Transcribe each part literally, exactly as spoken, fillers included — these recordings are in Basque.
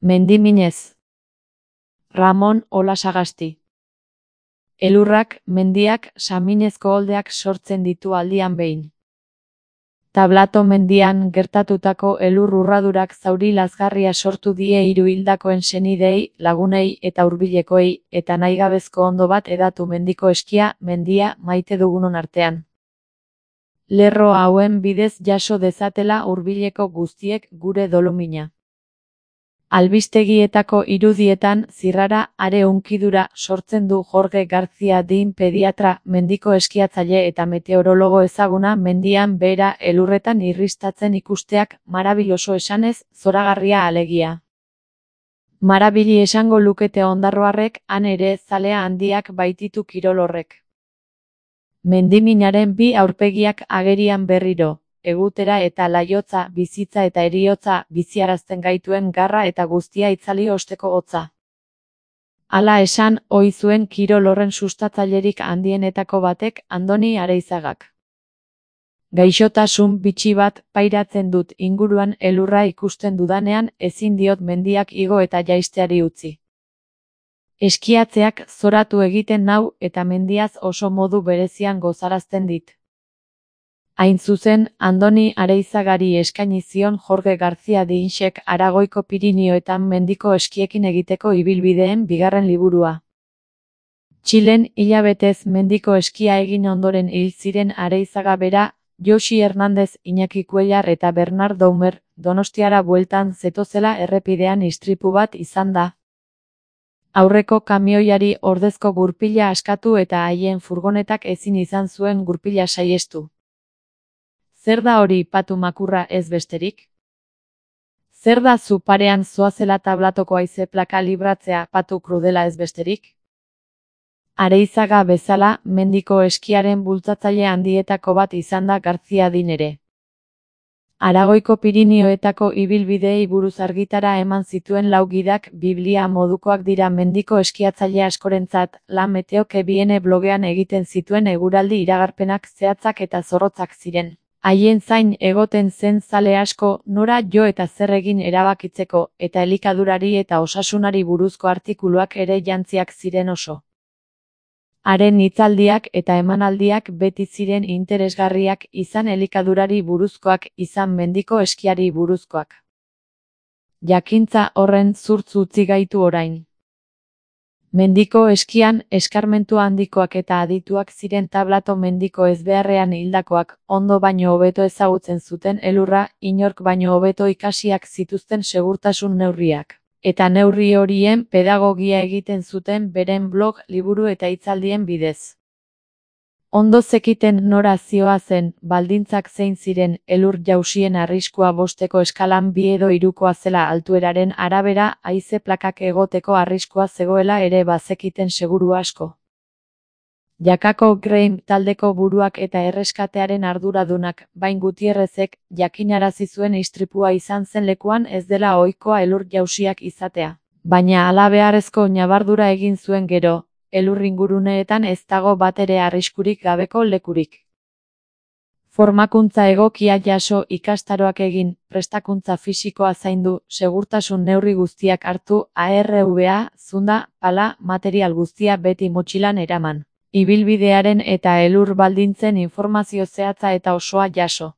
Mendiminez. Ramon Olasagasti. Elurrak, mendiak, saminezko oldeak sortzen ditu aldian behin. Tablato mendian gertatutako elur urradurak zauri lazgarria sortu die hiru hildakoen senidei, lagunei eta hurbilekoei, eta nahigabezko ondo bat edatu mendiko eskia, mendia, maite dugunon artean. Lerro hauen bidez jaso dezatela hurbileko guztiek gure dolumina. Albistegietako irudietan zirrara are hunkidura sortzen du Jorge García Din pediatra, mendiko eskiatzaile eta meteorologo ezaguna mendian behera elurretan irristatzen ikusteak, marabiloso esanez, zoragarria alegia. Marabili esango lukete ondarroarrek, han ere zalea handiak baititu kirol horrek. Mendiminaren bi aurpegiak agerian berriro. Egutera eta laiotza, bizitza eta heriotza, biziarazten gaituen garra eta guztia itzali osteko hotza. Hala esan, ohi zuen kirol horren sustatzailerik handienetako batek, Andoni Areizagak. Gaixotasun bitxi bat pairatzen dut inguruan elurra ikusten dudanean, ezin diot mendiak igo eta jaisteari utzi. Eskiatzeak zoratu egiten nau eta mendiaz oso modu berezian gozarazten dit. Hain zuzen, Andoni Areizagari eskaini zion Jorge García Dinsek Aragoiko Pirinioetan mendiko eskiekin egiteko ibilbideen bigarren liburua. Txilen hilabetez mendiko eskia egin ondoren hil ziren Areizaga bera, Josi Hernandez, Iñaki Cuellar eta Bernard Doumer, Donostiara bueltan zetozela errepidean istripu bat izan da. Aurreko kamioiari ordezko gurpila askatu eta haien furgonetak ezin izan zuen gurpila saihestu. Zer da hori patu makurra ez besterik? Zer da zu parean zoazela tablatoko haize plaka libratzea patu krudela ez besterik? Areizaga bezala, mendiko eskiaren bultzatzaile handietako bat izan da García Din ere. Aragoiko Pirinioetako ibilbideei buruz argitara eman zituen lau gidak Biblia modukoak dira mendiko eskiatzaile askorentzat, La Meteo que Viene blogean egiten zituen eguraldi iragarpenak zehatzak eta zorrotzak ziren. Haien zain egoten zen zale asko, nora jo eta zer egin erabakitzeko, eta elikadurari eta osasunari buruzko artikuluak ere jantziak ziren oso. Haren hitzaldiak eta emanaldiak beti ziren interesgarriak, izan elikadurari buruzkoak, izan mendiko eskiari buruzkoak. Jakintza horren zurtz utzi gaitu orain. Mendiko eskian, eskarmentu handikoak eta adituak ziren tablato mendiko ezbeharrean hildakoak, ondo baino hobeto ezagutzen zuten elurra, inork baino hobeto ikasiak zituzten segurtasun neurriak. Eta neurri horien pedagogia egiten zuten beren blog, liburu eta hitzaldien bidez. Ondo zekiten nora zihoazen, baldintzak zein ziren, elur jausien arriskua bosteko eskalan bi edo hirukoa zela altueraren arabera, haize plakak egoteko arriskua zegoela ere bazekiten seguru asko. Jakako Greim taldeko buruak eta erreskatearen arduradunak, Bain Gutierrezek, jakinarazi zuen istripua izan zen lekuan ez dela ohikoa elur jausiak izatea. Baina halabeharrezko ñabardura egin zuen gero, elur inguruneetan ez dago batere arriskurik gabeko lekurik. Formakuntza egokia jaso, ikastaroak egin, prestakuntza fisikoa zaindu, segurtasun neurri guztiak hartu, A R V A, zunda, pala, material guztia beti motxilan eraman. Ibilbidearen eta elur baldintzen informazio zehatza eta osoa jaso.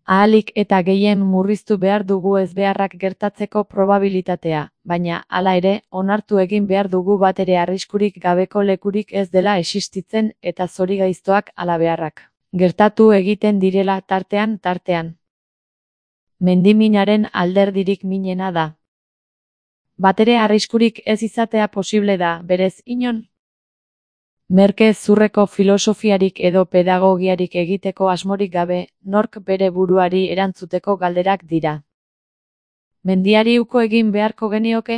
Ahalik eta gehien murriztu behar dugu ezbeharrak gertatzeko probabilitatea, baina, hala ere, onartu egin behar dugu batere arriskurik gabeko lekurik ez dela existitzen eta zorigaiztoak halabeharrak gertatu egiten direla tartean tartean. Mendiminaren alderdirik minena da. Batere arriskurik ez izatea posible da, berez inon? Merke zurreko filosofiarik edo pedagogiarik egiteko asmorik gabe, nork bere buruari erantzuteko galderak dira. Mendiari uko egin beharko genioke?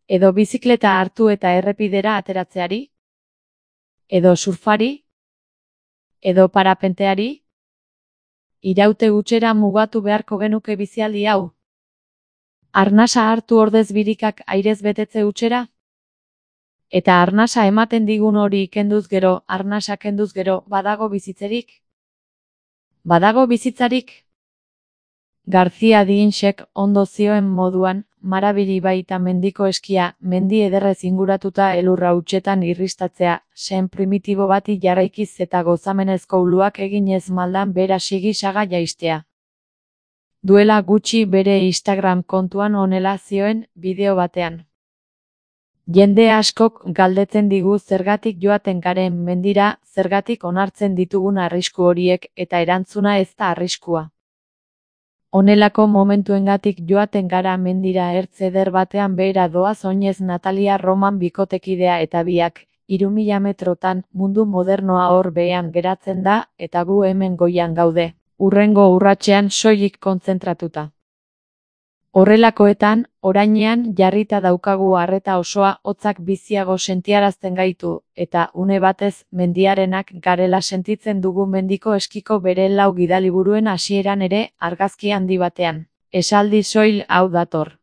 Edo bizikleta hartu eta errepidera ateratzeari? Edo surfari? Edo parapenteari? Iraute hutsera mugatu beharko genuke bizialdi hau? Arnasa hartu ordez birikak airez betetze hutsera? Eta arnasa ematen digun hori kenduz gero, arnasa kenduz gero, badago bizitzerik? Badago bizitzarik? Garcia Dinsek ondo zioen moduan, marabili baita mendiko eskia, mendi ederrez inguratuta elurra hutsetan irristatzea, sen primitibo bati jarraikiz eta gozamenezko uluak eginez maldan bera sigisaga jaistea. Duela gutxi bere Instagram kontuan honela zioen, bideo batean. Jende askok galdetzen digu zergatik joaten garen mendira, zergatik onartzen ditugun arrisku horiek, eta erantzuna ez da arriskua. Honelako momentuengatik joaten gara mendira ertz eder batean behera doaz oinez Natalia Roman bikotekidea eta biak, hiru mila metrotan, mundu modernoa hor behean geratzen da, eta gu hemen goian gaude, hurrengo urratsean soilik kontzentratuta. Horrelakoetan, orainean jarrita daukagu arreta osoa hotzak biziago sentiarazten gaitu, eta une batez mendiarenak garela sentitzen dugu mendiko eskiko bere lau gidaliburuen hasieran ere argazki handi batean. Esaldi soil hau dator.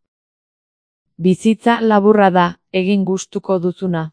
Bizitza laburra da, egin gustuko duzuna.